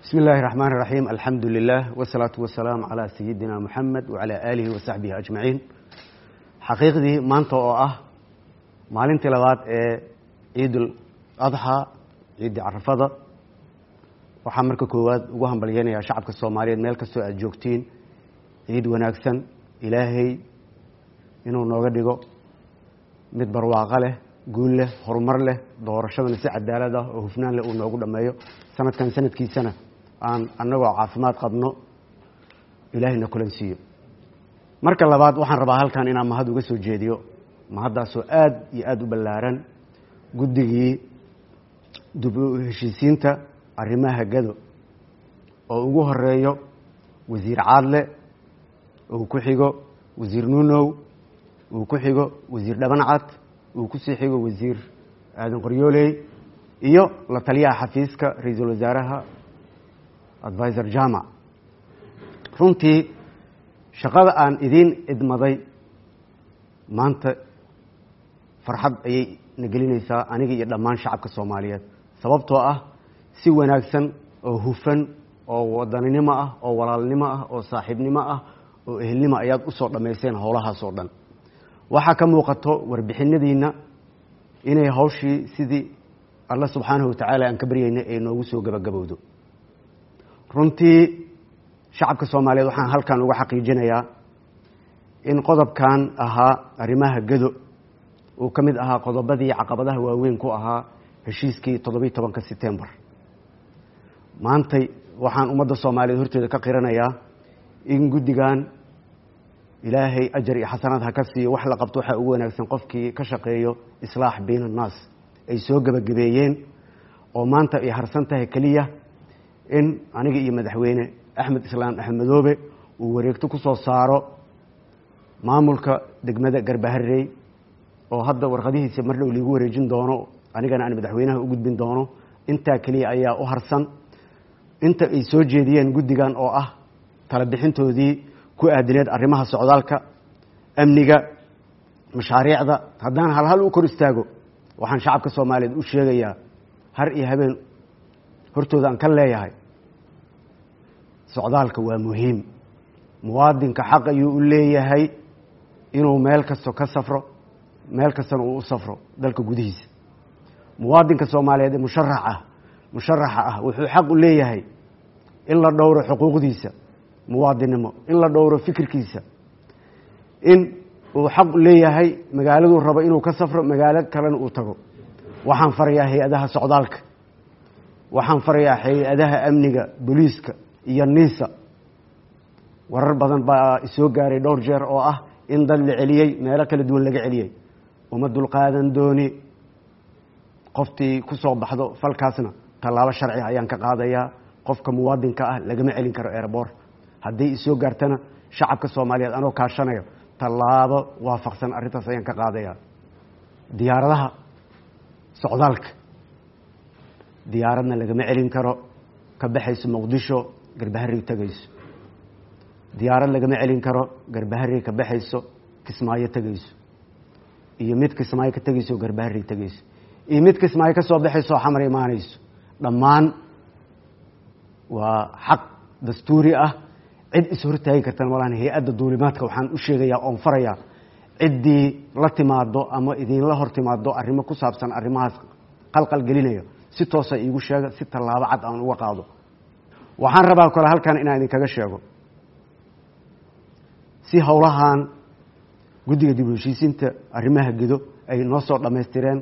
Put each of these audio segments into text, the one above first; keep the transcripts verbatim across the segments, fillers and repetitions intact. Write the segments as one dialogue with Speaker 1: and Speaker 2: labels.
Speaker 1: Bismi illaahi raxmaan raxiim, alxamdu lilah wasalaatu wasalaamu calaa sayidina Muxamed wacalaa aalihi wa saxbihi ajmaciin. Xaqiiqdii, maanta oo ah maalintii labaad ee Ciidul Adxaa, ciiddii Carafada, waxaa marka koowaad ugu hambalyeynayaa shacabka Soomaaliyeed meel kastoo aad joogtiin ciid wanaagsan. Ilaahay inuu nooga dhigo mid barwaaqo leh, guul leh, horumar leh, doorashadana si cadaalad ah oo hufnaan leh uu noogu dhammeeyo. Sanadkan sanadkiisana aan annagoo caafimaad qabno Ilaahayna kulan siiyo. Marka labaad, waxaan rabaa halkan inaan mahad uga soo jeediyo, mahaddaasoo aad iyo aada u ballaaran, guddigii dib u heshiisiinta arrimaha Gado oo ugu horeeyo Wasiir Caadle, uu ku xigo Wasiir Nuunow, uu ku xigo Wasiir Dhabancad, uu kusii xigo Wasiir Aadan Qoryooley iyo la taliyaha xafiiska ra-iisul wasaaraha, Advisor Jamac. Runtii shaqada aan idiin idmaday maanta farxad ayay na gelinaysaa aniga iyo dhammaan shacabka Soomaaliyeed, sababtoo ah si wanaagsan oo hufan oo wadaninimo ah oo walaalnimo ah oo saaxiibnimo ah oo ehelnimo ayaad usoo dhammayseen howlahaas oo dhan. Waxaa ka muuqato warbixinadiina inay hawshii sidii Alla subxaanahu watacaala aan ka baryaynay ay noogu soo gabagabowdo. Runtii shacabka Soomaaliyeed waxaan halkan uga xaqiijinayaa in qodobkan ahaa arrimaha Gado uu ka mid ahaa qodobadii caqabadaha waaweyn ku ahaa heshiiskii toddobiyi tobanka Setembar. Maantay waxaan ummadda Soomaaliyeed horteeda ka qiranayaa in guddigan, Ilaahay ajar iyo xasanaad ha ka siiyo, wax la qabto waxaa ugu wanaagsan qofkii ka shaqeeyo islaax bayna annaas, ay soo gebagabeeyeen oo maanta ay harsan tahay keliya in aniga iyo Madaxweyne Axmed Islaam Axmed Madoobe uu wareegto ku soo saaro maamulka degmada Garbaharey, oo hadda warqadihiisa mar dhow liigu wareejin doono, anigana aan madaxweynaha u gudbin doono. Intaa keliya ayaa u harsan inta ay soo jeediyeen guddigan oo ah tala bixintoodii ku aadineed arrimaha socdaalka, amniga, mashaariicda. Haddaan halhal u kor istaago, waxaan shacabka Soomaaliyeed u sheegayaa, har iyo habeen hortooda aan ka leeyahay, socdaalka waa muhiim. Muwaadinka xaq ayuu u leeyahay inuu meel kasto ka safro, meel kastana uu u safro dalka gudihiisa. Muwaadinka Soomaaliyeed ee musharax ah musharaxa ah wuxuu xaq u leeyahay in la dhowro xuquuqdiisa muwaadinnimo, in la dhowro fikirkiisa, in uu xaq u leeyahay magaaladuu rabo inuu ka safro, magaalo kalena uu tago. Waxaan farayaa hay-adaha socdaalka, waxaan farayaa hay-adaha amniga, booliiska iyo NISA. Warar badan baa isoo gaaray dhowr jeer oo ah in dad la celiyey, meelo kala duwan laga celiyey. Uma dulqaadan dooni. Qoftii ku soo baxdo falkaasna tallaabo sharci ayaan ka qaadayaa. Qofka muwaadinka ah lagama celin karo airport. Haddii isoo gaartana, shacabka Soomaaliyeed anoo kaashanayo, tallaabo waafaqsan arrintaas ayaan ka qaadayaa. Diyaaradaha socdaalka, diyaaradna lagama celin karo ka baxayso Muqdisho Garbaharey tegayso, diyaarad lagama celin karo Garbaharey ka baxayso Kismaayo tegayso, iyo mid Kismaayo ka tegayso Garbaharey tegayso, iyo mid Kismaayo ka soo baxayso Xamar imaanayso. Dhammaan waa xaq dastuuri ah, cid is hortaagi kartana malaan. Hay-adda duulimaadka waxaan u sheegayaa oon farayaa, ciddii la timaado ama idinla hor timaado arrimo ku saabsan arrimahaas qalqal gelinayo, si toosa iigu sheega si tallaabo cad aan uga qaado. Waxaan rabaa kale halkan inaan idinkaga sheego, si howlahan guddiga dib u heshiisiinta arrimaha Gedo ay noo soo dhammaystireen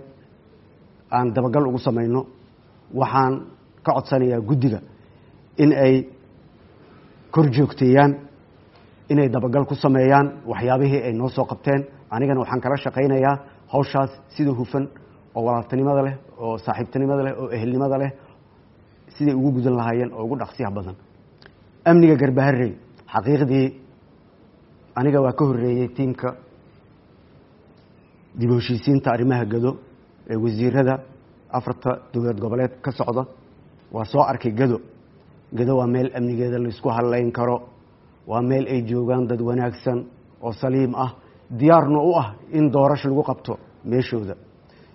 Speaker 1: aan dabagal ugu samayno, waxaan ka codsanayaa guddiga in ay kor joogteeyaan, inay dabagal ku sameeyaan waxyaabihii ay noo soo qabteen. Anigana waxaan kala shaqaynayaa hawshaas sida hufan oo walaaltinimada leh oo saaxiibtinimada leh oo ehelnimada leh siday ugu gudan lahaayeen oo ugu dhaqsiyaha badan. Amniga Garbaharey, xaqiiqdii aniga waa ka horreeyey tiimka dib u heshiisiinta arrimaha Gado ee wasiirada afarta dowlad goboleed ka socda. Waa soo arkay Gado. Gado waa meel amnigeeda laisku hadlayn karo, waa meel ay joogaan dad wanaagsan oo saliim ah, diyaarna u ah in doorasho lagu qabto meeshooda.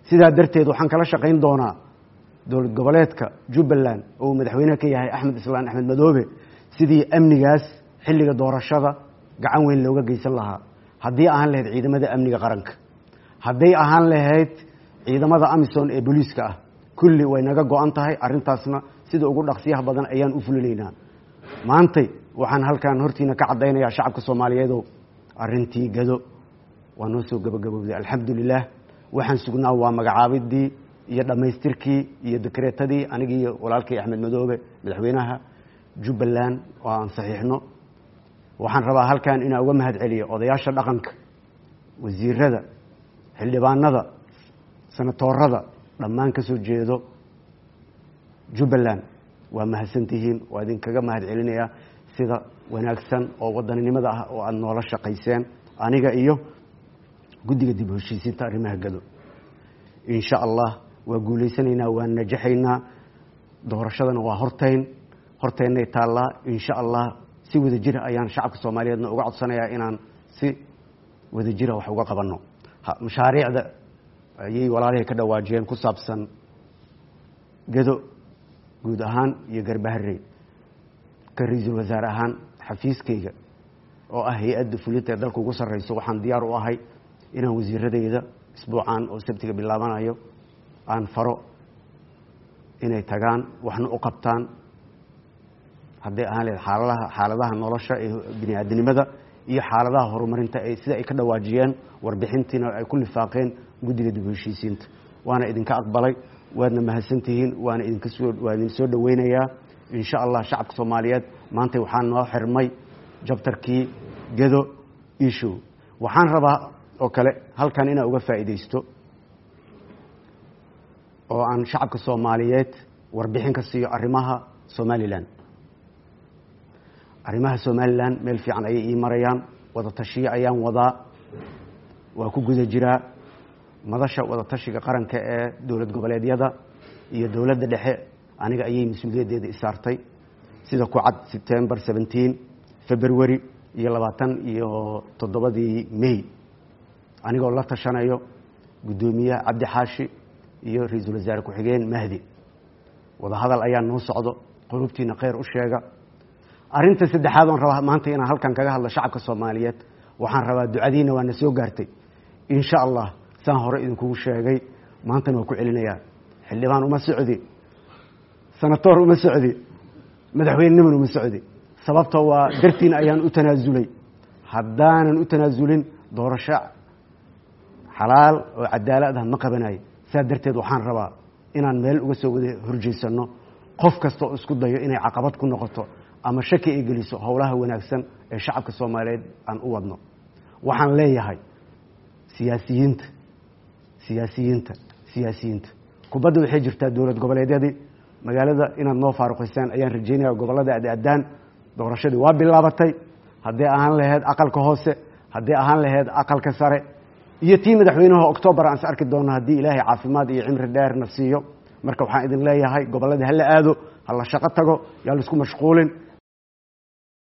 Speaker 1: Sidaa darteed waxaan kala shaqayn doonaa dowlad goboleedka Jubbaland oo madaxweynaha ka yahay Axmed Islaan Axmed Madoobe, sidii amnigaas xilliga doorashada gacan weyn looga geysan lahaa, haddii ahaan lahayd ciidamada amniga qaranka, hadday ahaan lahayd ciidamada AMISOM ee booliiska ah, kulli way naga go-an tahay arrintaasna sida ugu dhaqsiyaha badan ayaan u fulinaynaa. Maantay waxaan halkan hortiina ka caddaynayaa shacabka Soomaaliyeedow, arrintii Gado waa noo soo gabagabowday, alxamdulilah. Waxaan sugnaa waa magacaabidii iyo dhammaystirkii iyo dekreetadii anigii walaalkay Axmed Madoobe madaxweynaha Jubbaland oo aan saxiixno. Waxaan rabaa halkan inaan uga mahad celiyo odayaasha dhaqanka, wasiirada, xildhibaanada, sanatoorada dhammaan ka soo jeedo Jubbaland. Waa mahadsantihiin, waa idinkaga mahad celinayaa sida wanaagsan oo wadaninimada ah oo aada noola shaqayseen aniga iyo guddiga dib u heshiisiinta arrimaha Gado. Insha Allah waa guulaysanaynaa, waan najaxaynaa, doorashadana waa hortayn horteennay taallaa. Insha Allah si wada jira ayaan shacabka Soomaaliyeedna uga codsanayaa inaan si wada jira wax uga qabanno mashaariicda ayay walaalahay ka dhawaajiyeen ku saabsan Gado guud ahaan iyo Garbaharey. Ka ra-iisul wasaare ahaan xafiiskayga oo ah hay-adda fulinta ee dalka ugu sarreyso, waxaan diyaar u ahay inaan wasiiradayda isbuucaan oo sabtiga bilaabanayo aan faro inay tagaan waxna u qabtaan, hadday ahaan lahayd xaaladaha xaaladaha nolosha ee bini aadinimada iyo xaaladaha horumarinta ee sida ay ka dhawaajiyeen warbixintiina ay ku lifaaqeen guddiga dib u heshiisiinta. Waana idinka aqbalay, waadna mahadsantihiin, waana idinka soo waa idin soo dhaweynayaa. Insha Allah shacabka Soomaaliyeed, maanta waxaa noo xirmay jabtarkii Gedo issue. Waxaan rabaa oo kale halkan inaan uga faa'iidaysto oo aan shacabka Soomaaliyeed warbixin ka siiyo arrimaha Somaliland. Arrimaha Somaliland meel fiican ayay ii marayaan, wada tashiyo ayaan wadaa, waa ku guda jiraa madasha wada tashiga qaranka ee dowlad goboleedyada iyo dowladda dhexe. Aniga ayay mas-uuliyaddeeda isaartay sida ku cad September seventeen, February iyo labaatan iyo toddobadii May, anigoo la tashanayo guddoomiyaha Cabdi Xaashi iyo ra-iisul wasaare ku-xigeen Mahdi. Wadahadal ayaa noo socdo, qulubtiina kheyr u sheega. Arrinta saddexaad oon rabaa maanta inaan halkan kaga hadlo shacabka Soomaaliyeed, waxaan rabaa ducadiina waa na soo gaartay. Insha Allah saan hore idinkugu sheegay, maantana waa ku celinayaa, xildhibaan uma socdi, sanatoor uma socdi, madaxweyneniman uma socdi. Sababta waa dartiin ayaan u tanaasulay. Haddaanan u tanaasulin doorasho xalaal oo cadaalad ah ma qabanayo. Saa darteed waxaan rabaa inaan meel uga soo wada horjeysano qof kasta oo isku dayo inay caqabad ku noqoto ama shaki ay geliso howlaha wanaagsan ee shacabka Soomaaliyeed aan u wadno. Waxaan leeyahay siyaasiyiinta, siyaasiyiinta, siyaasiyiinta, kubadda waxay jirtaa dowlad goboleedyadii magaalada inaad noo faaruqaysaan ayaan rajeynaya. Gobollada aad-aadaan doorashadii waa bilaabatay, hadday ahaan lahayd aqalka hoose, hadday ahaan lahayd aqalka sare iyo tii madaxweynaha Octoobar aan is arki doono haddii Ilaahay caafimaad iyo cimri dheerna siiyo. Marka waxaan idin leeyahay gobolladii hala aado, hala shaqo tago, yaa laisku mashquulin.